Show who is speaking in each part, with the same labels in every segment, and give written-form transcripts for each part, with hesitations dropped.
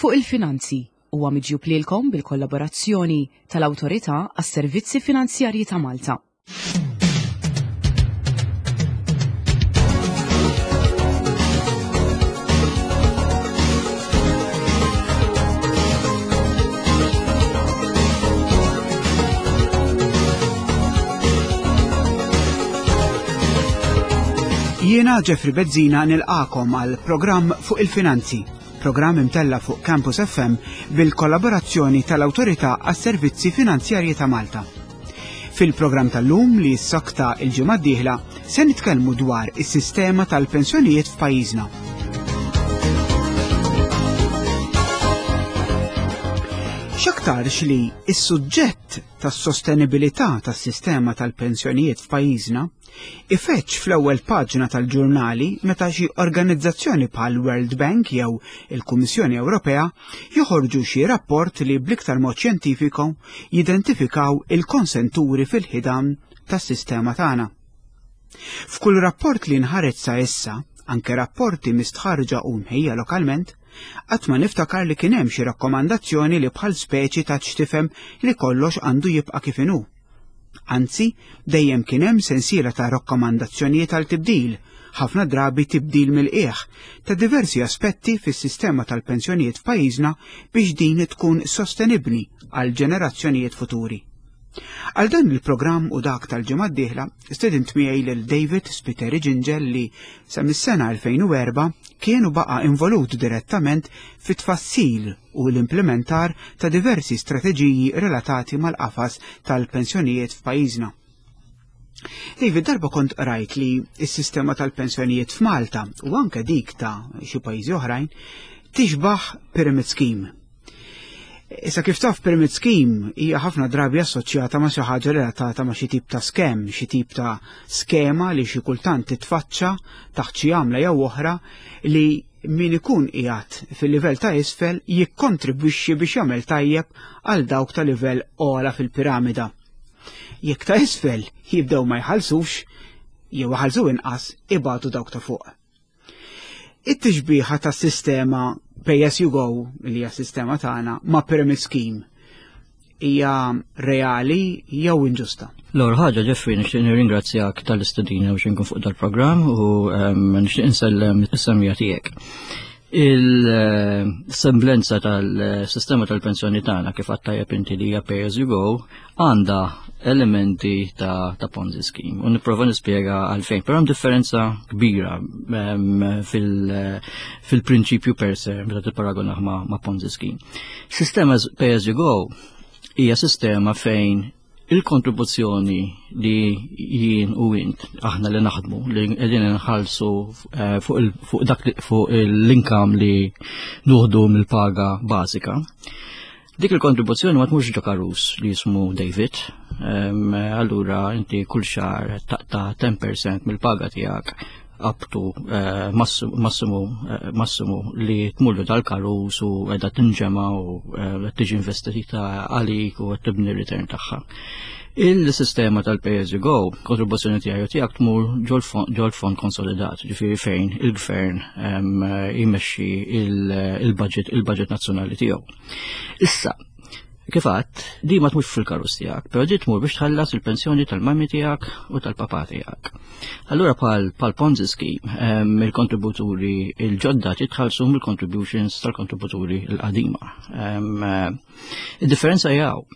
Speaker 1: Fuq il-Finanzi huwa miġjub lilkom bil-kollaborazzjoni tal-Awtorità għas-Servizzi Finanzjarji ta' Malta.
Speaker 2: Jiena Jeffrey Bezzina nilqakom għal programm fuq il-finanzi, programm imtella fuq Campus FM bil-kollaborazzjoni tal-Awtorità għas-Servizzi Finanzjarji ta' Malta. Fil-programm tal-lum li s-sokta il-ġimgħa d-dieħla se nitkellmu dwar is-sistema tal-pensjonijiet f'pajjiżna. X'aktarx li s-suġġett tas-sostenibilità tas-sistema tal-pensjonijiet f'pajjiżna ifeġġ fl-ewwel paġna tal-ġurnali meta xi organizzazzjoni bħal World Bank jew il-Kummissjoni Ewropea joħorġu xi rapport li bl-iktar mod xjentifiku jidentifikaw il-konsenturi fil-ħidan tas-sistema tagħna. F'kull rapport li nħareġ sa issa, anke rapporti mistħarġa u mħejja lokalment, qatt ma niftakar li kien hemm xi rakkomandazzjoni li bħal speċi ta' x'tifhem li kollox għandu jibqa' kif inhu. Anzi, dejjem kien hemm sensiela ta' rakkomandazzjonijiet għal tibdil, ħafna drabi tibdil mill-qiegħ, ta' diversi aspetti fis-sistema tal-pensjonijiet f'pajjiżna biex din tkun sostenibbli għal ġenerazzjonijiet futuri. Għal dan il-programm u dak tal-ġimgħa d-dieħla, stedint miegħi lil David Spiteri Ġinġel li sa mis-sena 2004 kien u baqa' involut direttament fit-tfassil u l-implementar ta' diversi strateġiji relatati mal-qafas tal-pensjonijiet f'pajjiżna. David, darba kont qrajt li s-sistema tal-pensjonijiet f'Malta u anke dik ta' xi pajjiżi oħrajn tixbaħ pyramid scheme. Issa kif taf pyramid scheme hija ħafna drabi assoċjata ma' xi ħaġa relatata ma' xi tip ta' skem, xi tip ta' skema li xi kultant titfaċċa taħt xi għamla jew oħra li min ikun qiegħed fil-livell ta' isfel jikkontribwixxi biex jagħmel tajjeb għal dawk ta' livell ogħla fil-piramida. Jekk ta' isfel jibdew ma jħallsux, jew iħallsu inqas, ibatu dawk ta' fuq. It-tixbiħa tas-sistema pay as you go, li hija sistema tagħna, ma' pyramid scheme hija reali jew inġusta?
Speaker 3: L-ewwel ħaġa Jeffrey nixtieq nirringrazzjak tal-istedina biex inkun fuq dal-programm u ehm, nixtieq insellem is-semija tiegħek. Il-semblenza tal-sistema tal-pensjoni tagħna kif għad tajjeb inti li hija pay as you go għandha elementi ta', ta Ponzi scheme. U nipprova nispjega għalfejn, però hemm differenza kbira ehm, fil-prinċipju per se meta tipparagonah ma', ma Ponzi scheme. Sistema pay as you go hija sistema fejn il-kontribuzzjoni li jien u int aħna li naħdmu li qegħdin nħallsu eh, fuq dak fuq l-income li nuħdu mill-paga bażika. Dik il-kontribuzzjoni ma tmurx ġo karus li jismu David. Allura inti kull xahar taqta' 10% mill-paga tiegħek up to eh, massimu eh, massimu li tmurlu dal-karus u edha tinġema u eh, tiġi investita għalik u tibni return tagħha. Il-sistema tal-pay as you go, kontribuzzjoni tiegħi u tiegħek tmur ġol fond konsolidat, ġifieri fejn il-gvern jmexxi il-budget il-budget nazzjonali tiegħu. Issa, kif għadt, di ma tmurx fil-karus tiegħek, però di tmur biex tħallas il-pensjoni tal-mami tiegħek u tal-papà tiegħek. Allura pal, pal Ponzi scheme, il-kontributuri il-ġodda titħallsu mill-contributions tal-kontributuri l-qadima. Il-differenza jaw,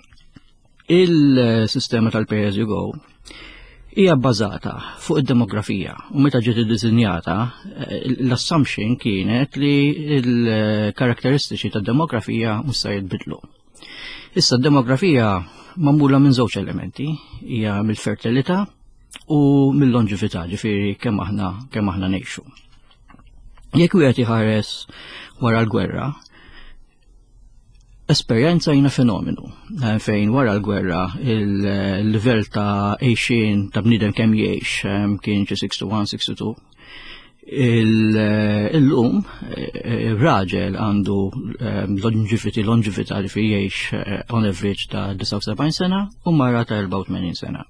Speaker 3: il-sistema tal-pay as you go hija bbażata fuq id-demografija u meta ġiet iddisinjata eh, l-assumption kienet li l-karakteristiċi tad-demografija mhux se jitbidlu. Issa d-demografija magħmula minn żewġ elementi, hija mill-fertilità u mill-longevità, ġifieri kemm aħna kemm aħna ngħixu. Jekk wieħed iħares wara l-gwerra, Esperjenza jina fenomenu eh, fejn wara l-gwerra il-livell ta' għejxien ta' bniedem kemm jgħix eh, kien xi 61, 62. Il-lum eh, raġel għandu longevity, longevity li fi jgħix on average ta' 79 sena u mara ta' 84 sena.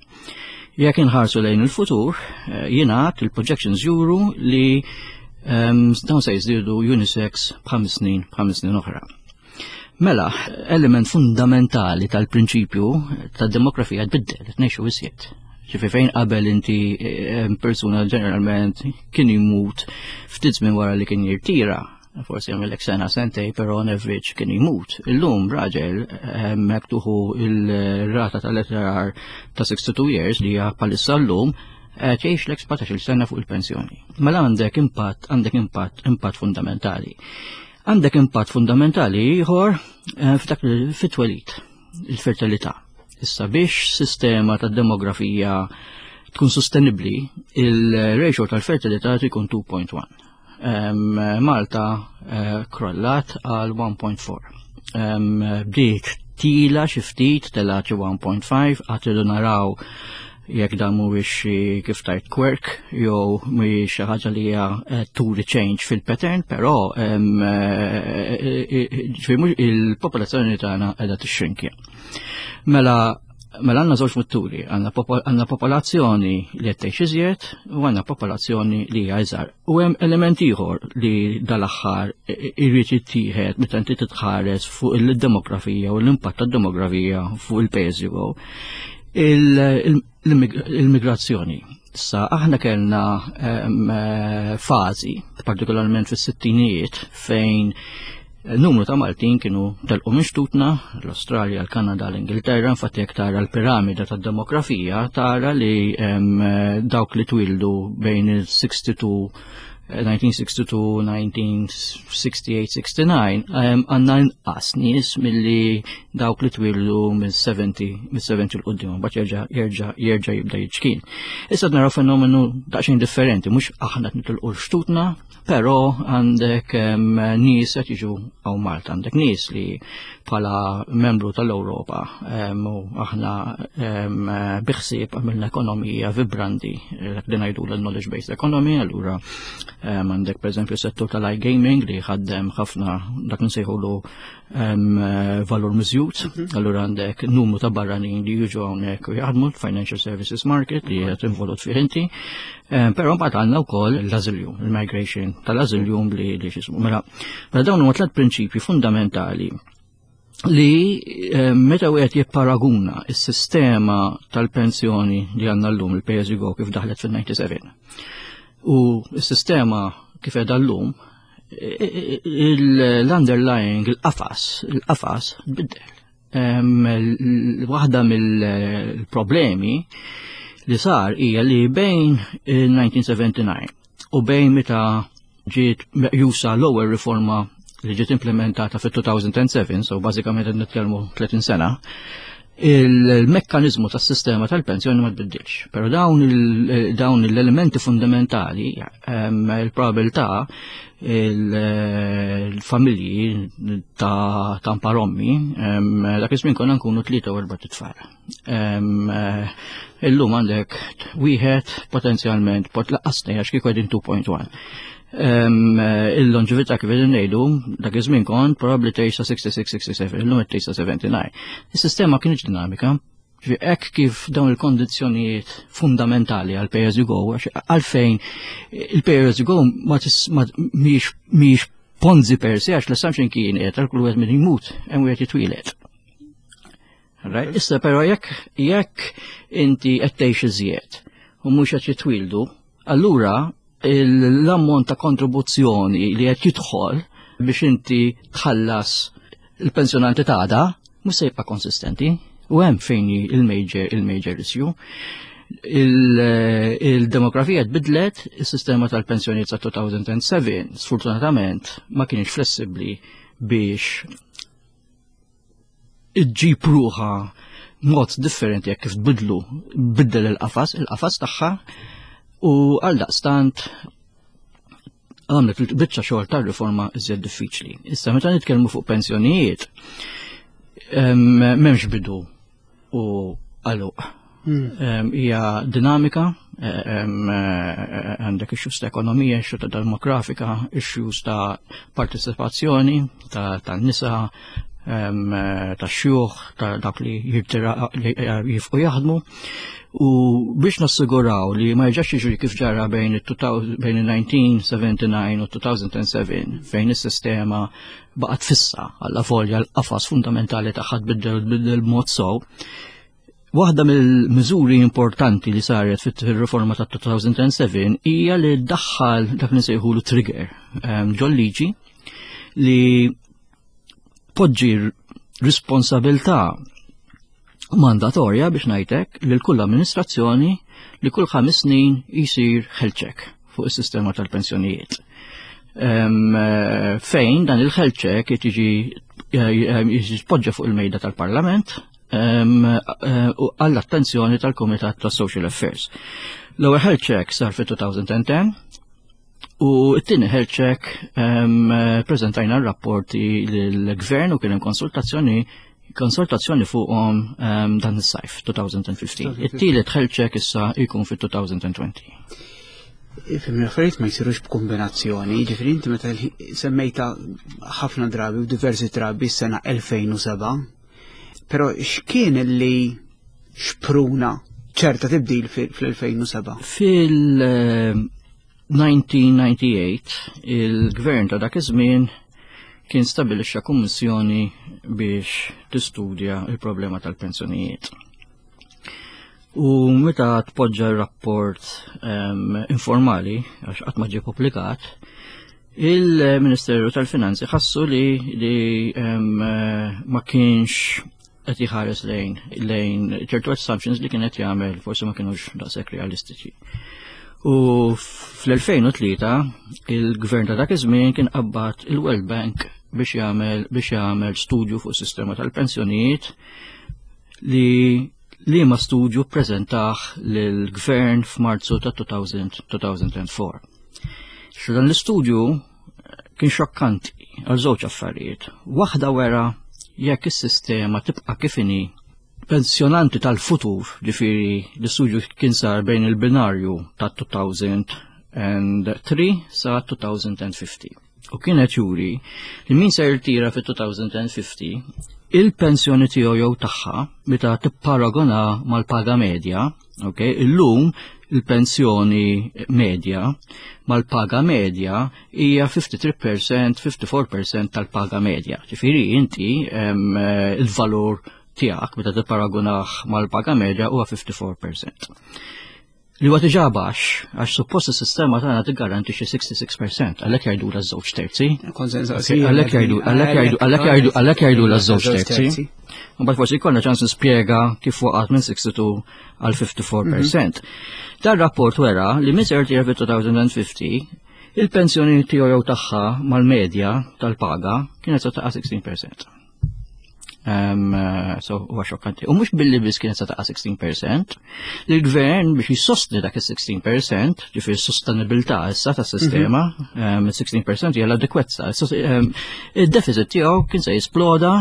Speaker 3: Jekk inħarsu lejn il-futur, jingħad il-projections juru li dawn se jiżdiedu unisex b'ħames snin b'ħames snin oħra. Mela, element fundamentali tal-prinċipju tad-demografija tbiddel, qed ngħixu iżjed. Ġifi fejn qabel inti eh, persuna ġeneralment kien jmut ftit żmien wara li kien jirtira, forsi jagħmilek sena sentej, però on average kien jmut. Illum raġel hemmhekk eh, tuħu il-rata tal-ETR ta' 62 years li hija bħalissa llum eh, tgħix lek 17-il sena fuq il-pensjoni. Mela għandek impatt, għandek impatt, impatt fundamentali. Għandek impatt fundamentali ieħor eh, f'dak fit-twelid, il-fertilità. Issa biex sistema ta' demografija tkun sostenibbli, il-ratio tal-fertilità jkun 2.1. Malta eh, krollat għal 1.4. Bdiet tila xi ftit tela xi 1.5 għad naraw jekk dan mhuwiex xi kif tajt quirk jew mhuwiex xi ħaġa li hija eh, turi change fil-pattern, però eh, eh, il-popolazzjoni tagħna qiegħda tixxrinkja. Mela Mela għandna żewġ mutturi, għandna popolazzjoni li qed tgħix iżjed u għandna popolazzjoni li hija iżgħar. U hemm element ieħor li dal-aħħar irid jittieħed meta inti titħares fuq il-demografija u l-impatt tad-demografija fuq il-pajjiż il-migrazzjoni. Sa aħna kellna eh, fażi, partikolarment fis-sittinijiet, fejn numru ta' Maltin kienu telqu minn xtutna, l-Australja, l-Kanada, l-Ingilterra, infatti jekk tara l-piramida tad-demografija tara li dawk li twildu bejn il-62 1962, 1968, 69, għanna inqas nies milli dawk li twildu mill-70, mill-70 l-qoddim, bat jerġa' jerġa' jerġa' jibda jiċkien. Issa naraw fenomenu daqsxejn differenti, mhux aħna qed nitilqu xtutna, però għandek nies qed jiġu hawn Malta, għandek nies li bħala membru tal-Ewropa u aħna biħsieb għamilna ekonomija vibranti, dak li ngħidu l-knowledge based economy, allura għandek pereżempju settur tal-iGaming li ħaddem ħafna dak nsejħulu valur miżjud, allura għandek numru ta' barranin li jiġu hawnhekk u jaħdmu financial services market li qed involut fih inti. Però mbagħad għandna wkoll l-asylum, il-migration tal-asylum li li xismu. Mela, mela dawn huma tliet prinċipji fundamentali li meta wieħed jipparaguna s-sistema tal-pensjoni li għandna llum il-pay as you go kif daħlet fil-97 u s-sistema kif qiegħda llum l-underlying, il-qafas, il-qafas biddel. Waħda mill-problemi li sar hija li bejn il-1979 u bejn meta ġiet meqjusa l-ewwel riforma li ġiet implementata fit-2007, so bażikament qed nitkellmu 30 sena, il-mekkanizmu tas-sistema tal-pensjoni ma tbiddilx. Però dawn l-elementi fundamentali, il-probabilità il-familji ta' tamparommi, dak iż-żmien konna nkunu tlieta u erba' tfal. Illum għandek wieħed potenzjalment pot laqqasni għax kieku qegħdin 2.1. Il-longevità kif qegħdin ngħidu, dak iż-żmien kont probabbli tgħix sa 66-67, illum qed tgħix sa 79. Is-sistema kienx dinamika. Hekk kif dawn il-kondizzjonijiet fundamentali għal pay as you go, għalfejn il-pay as you go ma mhijiex ponzi per se għax l-assumption kienet għal kull wieħed minn jmut hemm wieħed jitwieled. Right? Issa però jekk jekk inti qed tgħix iżjed u mhux qed jitwieldu, allura l-ammont ta' kontribuzzjoni li qed jidħol biex inti tħallas il-pensjonanti tagħda mhux se jibqa' konsistenti u hemm fejn il-major il-major issue. Il-demografija tbidlet, is-sistema tal-pensjonijiet sa 2007 sfortunatament ma kienx flessibbli biex iġġib ruħa mod differenti jekk kif tbidlu biddel il-qafas, il-qafas tagħha u għal daqstant għamlet il-biċċa xogħol tar-riforma iżjed diffiċli. Issa meta nitkellmu fuq pensjonijiet, m'hemmx bidu u għaluq. Hmm. Hija dinamika, eh, għandek issues ta' ekonomija, issues ta' demografika, issues ta' partecipazzjoni ta' nisa. ta' xjuħ, ta' dak li jifqu jaħdmu. U biex nassiguraw li ma jerġax jiġri kif ġara bejn il-1979 u 2007 fejn is-sistema baqgħet fissa għalla folja l-qafas fundamentali tagħha tbiddel tbiddel b'mod sew. Waħda mill-miżuri importanti li saret fit-riforma ta' 2007 hija li ddaħħal dak li nsejħulu trigger ġol-liġi li poġġi responsabilità mandatorja biex ngħidlek lil kull amministrazzjoni li kull 5 snin jisir health check fuq is-sistema tal-pensjonijiet. Fejn dan il-health check jiġi jiġi fuq il-mejda tal-Parlament għall-attenzjoni tal-Kumitat tas Social Affairs. L-ewwel health check sar fit-2010 u t-tieni health check preżentajna r-rapporti lill-Gvern u kien hemm konsultazzjoni fuqhom dan is-sajf 2015. It-tielet health check issa jkun fit-2020.
Speaker 2: Ifhem l-affarijiet ma jsirux b'kombinazzjoni, ġifieri inti meta semmejta ħafna drabi u diversi drabi s-sena 2007, però x'kien li xpruna ċerta tibdil fl-2007?
Speaker 3: Fil-1998 il-gvern ta' dak iż-żmien kien stabilixxa kummissjoni biex tistudja il-problema tal-pensjonijiet. U meta tpoġġa r-rapport informali, għax qatt ma ġie pubblikat, il-Ministeru tal-Finanzi ħassu li ma kienx qed jħares lejn ċertu assumptions li kien qed jagħmel forsi ma kinux daqshekk realistiċi. U fl-2003 il-gvern ta' dak iż-żmien kien qabbad il-World Bank biex jagħmel studju fuq is-sistema tal-pensjonijiet li ma studju ppreżentah lill-gvern f'Marzu ta' 2004. Xo dan l-istudju kien xokkanti għal żewġ affarijiet. Waħda wera jekk is-sistema tibqa' kif inhi, pensjonanti tal-futur, ġifieri l-istudju kien sar bejn il-binarju ta' 2003 sa 2050. U kienet juri li min se jirtira fit-2050 il-pensjoni tiegħu jew tagħha meta tipparagona mal-paga medja, ok, illum il-pensjoni medja mal-paga medja hija 53%, 54% tal-paga medja. Ġifieri inti il-valur tiegħek meta tipparagunah mal-paga medja huwa 54%. Li huwa diġà baxx, għax suppost is-sistema tagħna tiggarantixxi 66%, għalhekk jgħidu la żewġ terzi. Għalhekk jgħidu, għalhekk jgħidu, għalhekk jgħidu, għalhekk jgħidu la żewġ terzi. Mbagħad forsi jkollna ċans nispjega kif waqgħet minn 62 għal 54%. Dan rapport wera li minn ser tiegħek fit-2050 il-pensjoni tiegħu jew tagħha mal-medja tal-paga kienet se taqa' 16%. So, huwa xokkanti. U mhux billi biss kienet se taqa' 16%, li l-gvern biex jissostni dak is-16%, ġifieri s-sostenibilità issa tas-sistema, 16% hija l-adekwezza. Il-deficit tiegħu kien se jisploda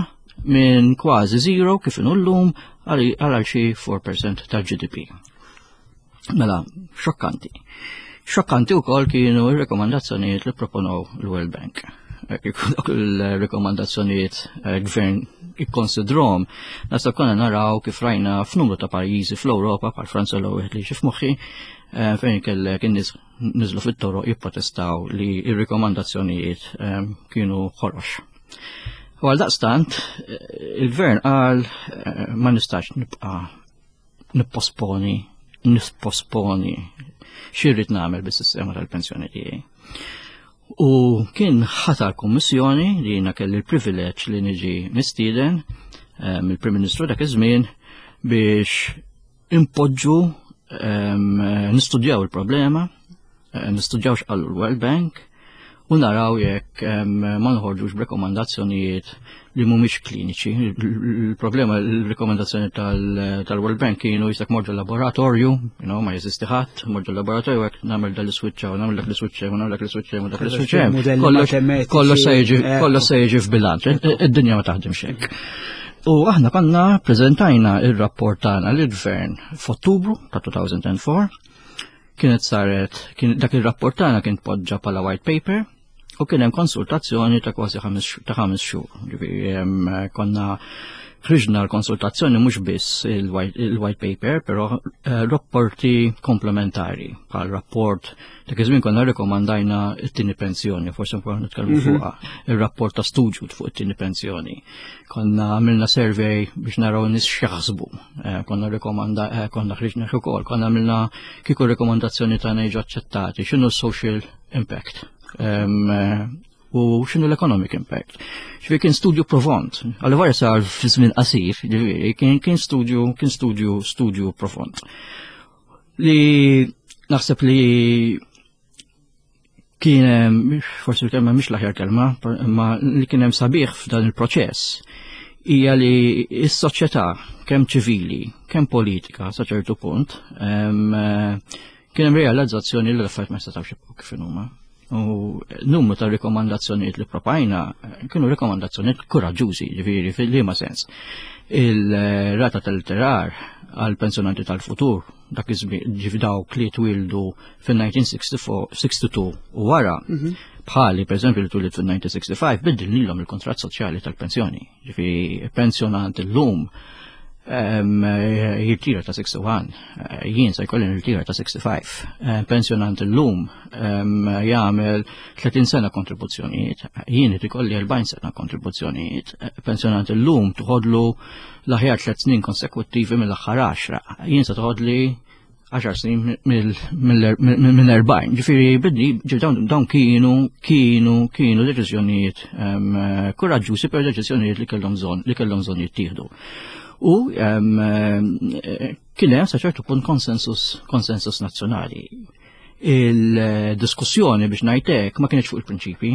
Speaker 3: minn kważi zero kif inhu llum għal xi 4% tal-GDP. Mela, xokkanti. Xokkanti wkoll kienu r-rekomandazzjonijiet li proponow l-World Bank. Kieku dawk il-rekomandazzjonijiet gvern ikkonsidrom, nasa konna naraw kif rajna f'numru ta' pajjiżi fl-Ewropa, bħal Franza l wieħed li f'moħħi, fejn kellek in-nies niżlu fit-toroq jipprotestaw li r-rekomandazzjonijiet kienu ħorox. U għal daqstant, il-gvern qal ma nistax nibqa' nipposponi x'irrid nagħmel bis-sistema tal-pensjoni tiegħi. U kien ħatar kummissjoni li jiena kelli l-privileġġ li niġi mistieden mill-Prim Ministru dak iż-żmien biex impoġġu nistudjaw il-problema, nistudjaw x'qallu l-World Bank u naraw jekk ma nħorġux b'rekomandazzjonijiet li mhumiex kliniċi. Il-problema, il-rekomandazzjoni tal-World Bank kienu jisek morġu laboratorju, ma jeżisti ħadd, morġu laboratorju hekk nagħmel dal iswitch u nagħmel dak l-iswitch u nagħmel dak l-iswitch u dak l-iswitch. Kollox se jiġi f'bilanċ, id-dinja ma taħdimx hekk. U aħna konna preżentajna ir-rapport tagħna lill-gvern f'Ottubru ta' 2004. Kienet saret, kien, dak il-rapport tagħna kien tpoġġa bħala white paper. U kien hemm konsultazzjoni ta' kważi 5 xhur. Ġifieri konna ħriġna l-konsultazzjoni mhux biss il-white paper, però rapporti komplementari bħal rapport dak iż-żmien konna rrikomandajna t-tieni pensjoni, forsi nkunu nitkellmu fuqha, ir-rapport ta' studju fuq it-tieni pensjoni. Konna għamilna survey biex naraw nies x'jaħsbu. Konna rikomanda konna ħriġna ukoll, konna għamilna kieku rekomandazzjoni tagħna jiġu aċċettati, x'inhu social impact u x'inhu l-economic impact. Ġifieri kien studju profond. Għal sar fi żmien qasir, ġifieri kien studju kien studju studju profond. Li naħseb li kien forsi l-kelma mhix l-aħjar kelma, imma li kien hemm sabiħ f'dan il-proċess hija li s-soċjetà kemm ċivili, kemm politika sa ċertu punt, kien hemm realizzazzjoni li l-affarijiet ma setgħux jibqgħu kif huma. U numru ta' rikomandazzjonijiet li propajna kienu rikomandazzjonijiet kuraġġużi, ġifieri fil-liema sens. Il-rata tal-tirar għal pensjonanti tal-futur, dak iż-żmien ġifi dawk li twildu fin-1962 u wara, bħali per eżempju li twilid fin-1965, biddilnilhom il-kontratt soċjali tal-pensjoni. Ġifieri pensjonant illum jirtira ta' 61, jien se jkolli nirtira ta' 65. Pensjonant illum jagħmel 30 sena kontribuzzjonijiet, jien irid ikolli 40 sena kontribuzzjonijiet. Pensjonant illum toħodlu l-aħjar 3 snin konsekuttivi mill-aħħar 10, jien se toħodli 10 snin minn 40. Ġifieri bidni, dawn kienu deċiżjonijiet kuraġġużi, per deċiżjonijiet li kellhom bżonn, li kellhom bżonn jittieħdu. U kien hemm sa ċertu punt konsensus nazzjonali. Il-diskussjoni biex ngħidlek ma kienx fuq il-prinċipi,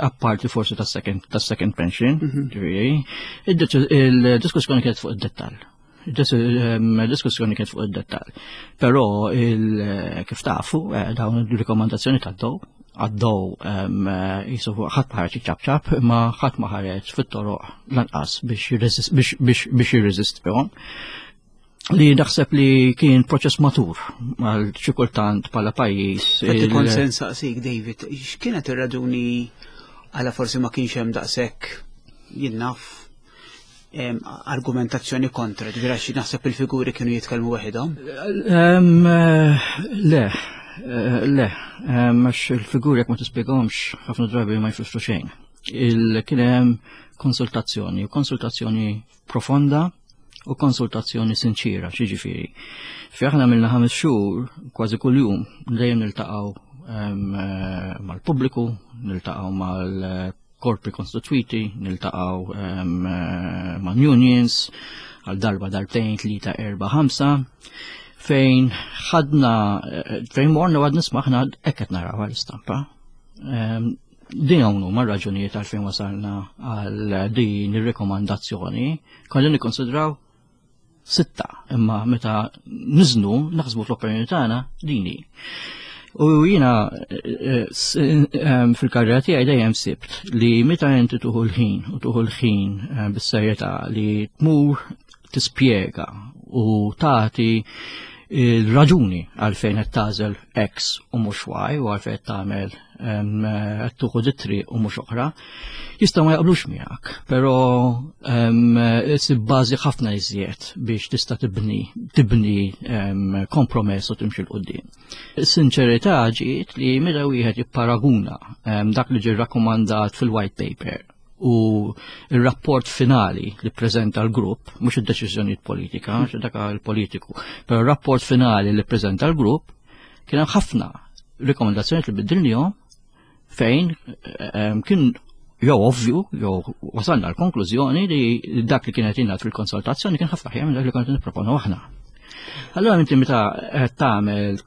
Speaker 3: apparti forsi tas-second pension, ġifieri, il-diskussjoni kienet fuq id-dettall. Diskussjoni kienet fuq id-dettall. Però kif tafu, dawn il-rikomandazzjoni tad-dow għaddew jisu ħadd ma ħareġ iċapċap, ma ħadd ma ħareġ fit-toroq lanqas biex jirreżistihom. Li naħseb li kien proċess matur għal xi kultant bħala pajjiż.
Speaker 2: Fatti kont se nsaqsik, David, x'kienet ir-raġuni għala forsi ma kienx hemm daqshekk jien naf argumentazzjoni kontra, ġifieri għax naħseb il-figuri kienu jitkellmu waħedhom?
Speaker 3: Le, le, għax il-figuri jekk ma tispjegahomx ħafna drabi ma jfissru xejn. Kien hemm konsultazzjoni, konsultazzjoni profonda u konsultazzjoni sinċira, xiġifieri. Fi aħna għamilna 5 xhur kważi kuljum dejjem niltaqgħu mal-pubbliku, niltaqgħu mal-korpi konstituiti, niltaqgħu ma' unions, għal darba, darbtejn, 3, 4, 5, fejn ħadna, fejn morna għad nisma' aħna hekk qed naraw għall-istampa. Din hawn huma r-raġunijiet għalfejn wasalna għal din ir-rekomandazzjoni, konna nikkonsidraw 6, imma meta niżnu naħsbu fl-opinjoni tagħna dini. U jiena fil-karriera tiegħi dejjem sibt li meta inti tuħu l-ħin u tuħu l-ħin bis-serjetà li tmur tispjega u tagħti il-raġuni għalfejn qed tagħżel X u mhux Y u għalfejn qed tagħmel qed tuħu dit-triq u mhux oħra, jistgħu ma jaqblux miegħek, però issib bażi ħafna iżjed biex tista' tibni kompromess u timxi 'l quddiem. Is-sinċerità ġiet li meta wieħed jipparaguna dak li ġie rrakkomandat fil-white paper u il-rapport finali li preżenta l-grupp, mhux id-deċiżjonijiet politika, għax dak il-politiku, però il-rapport finali li preżenta l-grupp kien hemm ħafna rekomendazzjonijiet li biddilnihom fejn kien jew ovvju, jew wasalna l-konklużjoni li dak li kienet ingħad fil-konsultazzjoni kien ħafna aħjar minn dak li konna nipproponu aħna. Allora inti meta qed tagħmel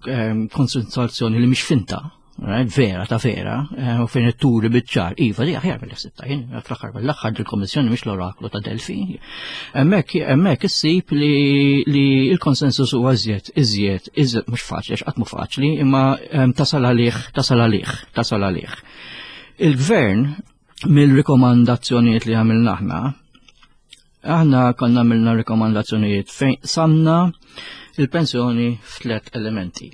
Speaker 3: konsultazzjoni li mhix finta, right, vera ta' vera, u fejn it-turi biċ-ċar, iva di aħjar mill-sitta, jien fl-aħħar mill-aħħar dil-Kommissjoni mhix l-oraklu ta' Delfi. Hemmhekk issib li l-konsensus huwa iżjed, iżjed, iżjed mhux faċli, għax qatt mhu faċli, imma tasal għalih, tasal għalih, tasal għalih. Il-gvern mill-rikomandazzjonijiet li għamilna aħna, aħna konna għamilna rikomandazzjonijiet fejn samna il-pensjoni f'tliet elementi.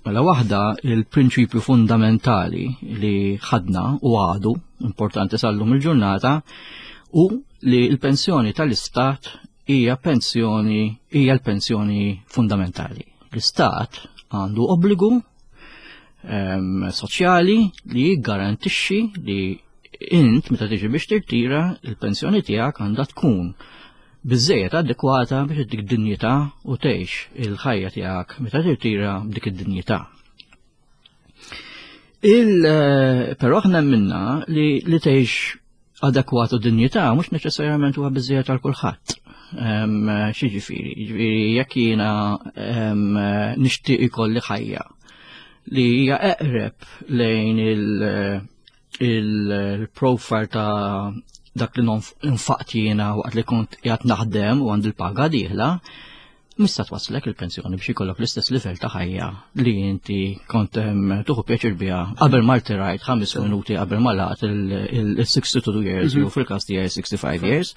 Speaker 3: Mela waħda il-prinċipju fundamentali li ħadna u għadu importanti sal-lum il-ġurnata u li l-pensjoni tal-istat hija pensjoni hija l-pensjoni fundamentali. L-istat għandu obbligu soċjali li jiggarantixxi li int meta tiġi biex tirtira il-pensjoni tiegħek għandha tkun biżejjed adekwata biex dik dinjità u tgħix il-ħajja tiegħek meta tirtira b'dik id-dinjità. Il eh, però aħna minna li li tgħix adekwat u dinjità mhux neċessarjament huwa biżejjed għal kulħadd. Xi ġifieri, ġifieri jekk jiena nixtieq ikolli ħajja li hija eqreb lejn il- il-profile ta' dak li nfaqt jiena waqt li kont qiegħed naħdem u għand il-paga dieħla, mista twaslek il-pensjoni biex ikollok l-istess livell ta' ħajja li inti kont tuħu pjaċir biha qabel ma rtirajt ħames minuti qabel ma laqt il-62 years jew fil-każ tiegħi 65 years.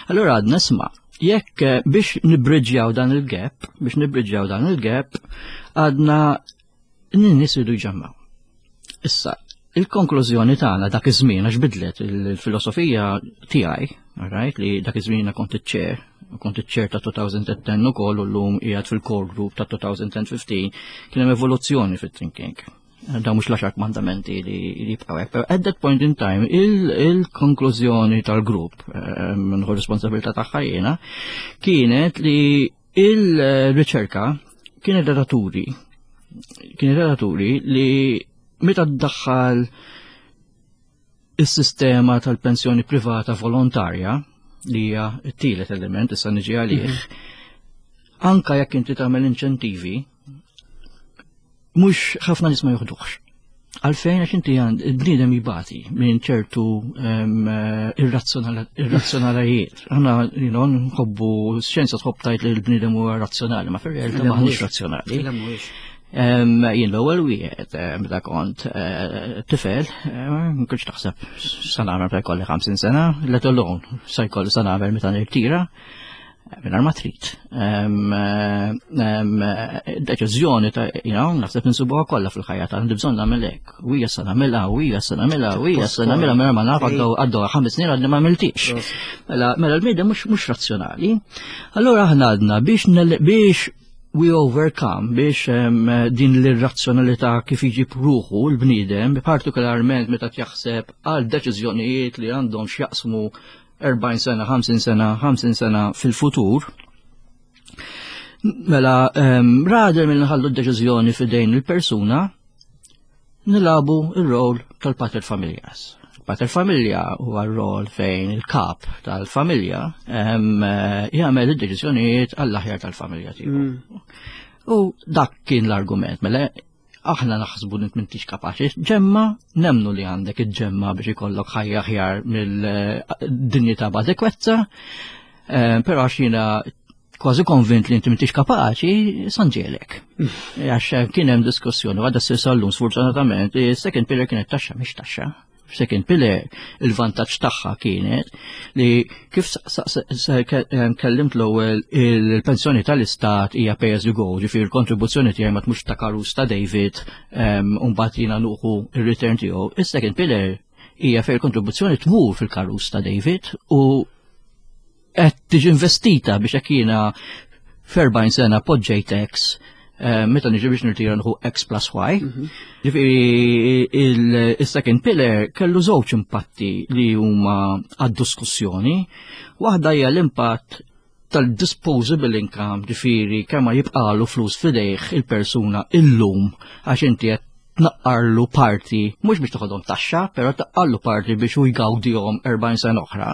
Speaker 3: Allura għadna isma' jekk eh, biex nibridġjaw dan il-gap, biex nibridġjaw dan il-gap, għadna n-nies iridu jġemmaw. Issa, il-konklużjoni tagħna dak iż-żmien għax bidlet il-filosofija tiegħi, right, li dak iż-żmien kont iċ-chair, kont iċ-chair ta' 2010 ukoll u llum qiegħed fil-core group ta' 2015, kien hemm evoluzzjoni fit-thinking. Da mhux l-għaxar kmandamenti li jibqgħu hekk. At that point in time, il-konklużjoni tal-grupp, eh, nħu responsabilità tagħha jiena, kienet li Il-riċerka kienet relaturi kienet relaturi li meta ddaħħal is-sistema tal-pensjoni privata volontarja li hija t-tielet element issa niġi għalih, mhm. anka jekk inti tagħmel inċentivi, mhux ħafna nies ma joħduhx. Għalfejn għax inti għand il-bniedem jibati minn ċertu irrazzjonalajiet. Aħna you know, nħobbu xjenza tħobb tajt li l-bniedem huwa razzjonali, ma fir-realtà maħniex razzjonali. Jien l-ewwel wieħed meta kont eh, tifel, ma kontx taħseb sa nagħmel meta jkolli 50 sena, let alone sa jkolli sa nagħmel meta nirtira. Mingħajr ma trid. Deċiżjoni ta' you know, naħseb insibuha kollha fil-ħajja ta' għandi bżonn nagħmel hekk. U hija se nagħmilha, u hija se nagħmilha, u hija se nagħmilha mela ma naf għaddew ħames snin għadni ma għamiltix. Mela, mela l-bniedem mhux razzjonali. Allura aħna għadna biex biex we overcome biex din l-irrazzjonalità kif iġib ruħu l-bniedem, partikolarment meta jaħseb għal deċiżjonijiet li għandhom x'jaqsmu 40 sena, 50 sena, 50 sena fil-futur, mela um, rader minn nħallu d-deċiżjoni fidejn il-persuna, nilabu il-rol tal-pater familjas. Pater familja huwa r-rol fejn il-kap tal-familja ehm, jagħmel id-deċiżjonijiet għall-aħjar tal-familja tiegħu. Mm. U dak kien l-argument, mela aħna naħsbu li m'intix kapaċi ġemma, nemnu li għandek iġġemma biex ikollok ħajja aħjar mill-dinjità b'adekwezza, eh, però għax jiena kważi konvint li inti m'intix kapaċi, sanġelek. Għax kien hemm diskussjoni għadha ssir sal-lum sfortunatament, second pillar kienet taxxa mhix taxxa. Second pillar il-vantaġġ tagħha kienet li kif kellimt l-ewwel il-pensjoni tal-istat hija pay as you go, ġifieri l-kontribuzzjoni tiegħi ma tmux ta' karus ta' David u mbagħad jiena nuħu ir-return tiegħu. Is-second pillar hija fejn il-kontribuzzjoni tmur fil-karus ta' David u qed tiġi investita biex hekk jiena f'40 sena poġġejt X eh, meta niġi biex nirtira nħu X plus Y. Mhm. Ġifieri il-second pillar kellu żewġ impatti li huma għad-diskussjoni. Waħda hija l-impatt tal-disposable income, ġifieri kemm jibqalu flus fidejh il-persuna illum għax inti qed tnaqqarlu parti, mhux biex toħodhom taxxa, però tnaqqarlu parti biex hu jgawdihom 40 sena oħra.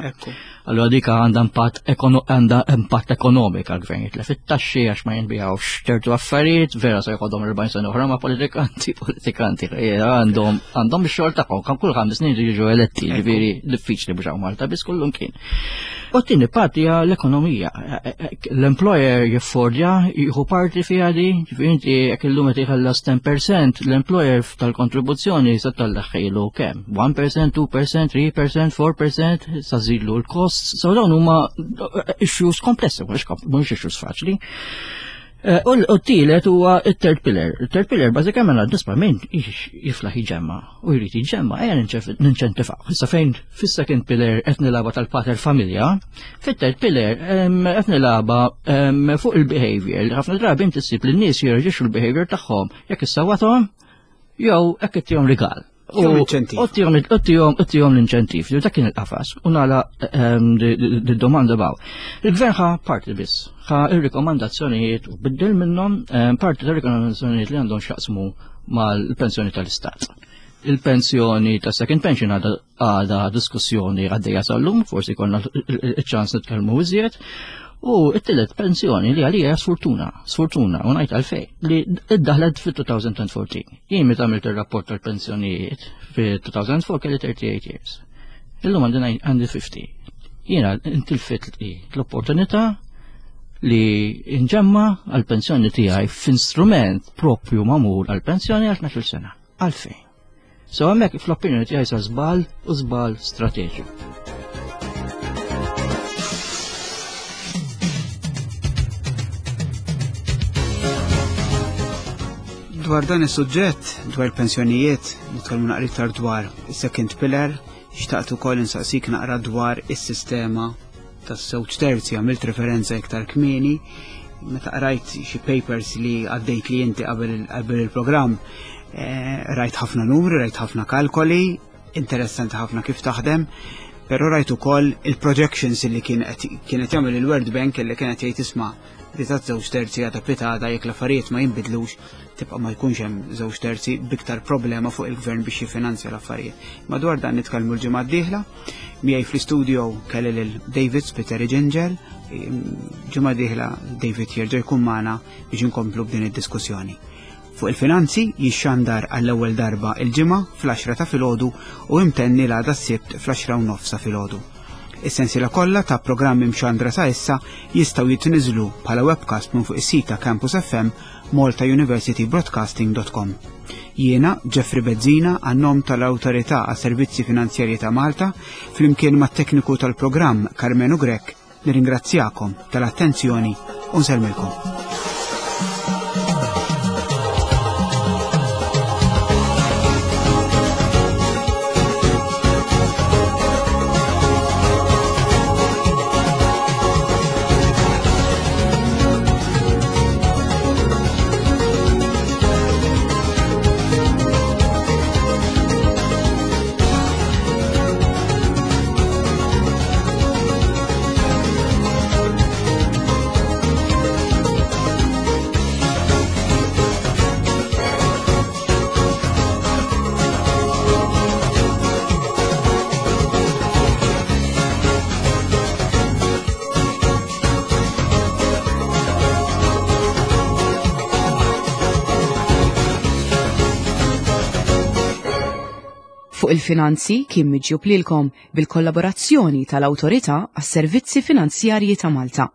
Speaker 3: Allura dik għandha impatt għandha impatt ekonomika għall-gvern jitlef it-taxxi għax ma jinbijawx ċertu affarijiet, vera se jħodhom 40 sena oħra ma' politikanti, politikanti għandhom għandhom ix-xogħol tagħhom, kan kull ħames snin jiġu eletti, ġifieri diffiċli biex hawn Malta biss kullum kien. U t-tieni parti hija l-ekonomija. L-employer jiffordja jieħu parti fiha di, ġifieri inti jekk illum qed jħallas 10%, l-employer tal-kontribuzzjoni se tallaħħilu kemm? 1%, 2%, 3%, 4% sa żidlu l-costs. So dawn huma issues komplessi, mhux issues faċli. Eh, u t-tielet huwa it-third pillar. Il-third pillar bażikament għad nisma' min jiflaħ iġemma u jrid iġemma ejja ninċentifaw. Issa fejn fis-second pillar qed nilagħba tal-pater familja, fit-third pillar qed nilagħba fuq il-behavior. Ħafna drabi inti ssib li n-nies jirreġixxu l-behavior tagħhom jekk issawathom jew hekk ittihom rigal.
Speaker 2: U
Speaker 3: Uttijom l-inċentiv, li dak kien il-qafas, u nala d-domanda baw. Il-gvern ħa parti biss, ħa il-rekomandazzjonijiet u biddel minnhom parti ta' rekomandazzjonijiet li għandhom xaqsmu mal-pensjoni tal-istat. Il-pensjoni ta' second pension għadha għadha diskussjoni għaddejja sal-lum, forsi konna il-ċans nitkellmu iżjed. U it-tielet pensjoni li għalija sfortuna, sfortuna, u ngħid għalfej, li iddaħlet fit-2014. Jien meta għamilt ir-rapport tal-pensjonijiet fit-2004 kelli 38 years. Illum għandi għandi 50. Jiena intilfit l-opportunità li nġemma għal-pensjoni tiegħi f'instrument propju magħmul għal-pensjoni għal 12 sena. Għalfejn. So hemmhekk fl-opinjoni tiegħi sa żball u żball strateġiku.
Speaker 2: Dwar dan is-suġġett, dwar pensjonijiet, nitkellmu naqra iktar dwar is-second pillar, xtaqt ukoll insaqsik naqra dwar is-sistema tas-żewġ terzi għamilt referenza iktar kmieni meta qrajt xi papers li għaddejt li inti qabel il-programm eh, rajt ħafna numri, rajt ħafna kalkoli, interessanti ħafna kif taħdem, però rajt ukoll il-projections li kienet jagħmel il-World Bank li kienet jgħid isma' li ta' żewġ terzi għadha pitada jekk l-affarijiet ma jinbidlux tibqa' ma jkunx hemm żewġ terzi biktar problema fuq il-gvern biex jiffinanzja l-affarijiet. Madwar dan nitkellmu l-ġimgħa d-dieħla, miegħi fl-istudio kelli lil David Spiteri Ġinġel, ġimgħa d-dieħla David jerġa' jkun magħna biex inkomplu b'din id-diskussjoni. Fuq il-finanzi jixxandar għall-ewwel darba il-ġimgħa fl-10 ta' filgħodu u imtenni l-għada s-Sibt fl-10 u nofsa filgħodu. Is-sensiela kollha ta' programmi mxandra sa issa jistgħu jitniżlu bħala webcast minn fuq is-sit ta' Campus FM maltauniversitybroadcasting.com. Jiena Jeffrey Bezzina għan-nom tal-Awtorità għas-Servizzi Finanzjarji ta' Malta flimkien mat-tekniku tal-programm Karmenu Grech nirringrazzjakom tal-attenzjoni u nsellmilkom.
Speaker 1: Fuq il-finanzi kien miġjub lilkom bil-kollaborazzjoni tal-Awtorità għas-Servizzi Finanzjarji ta' Malta.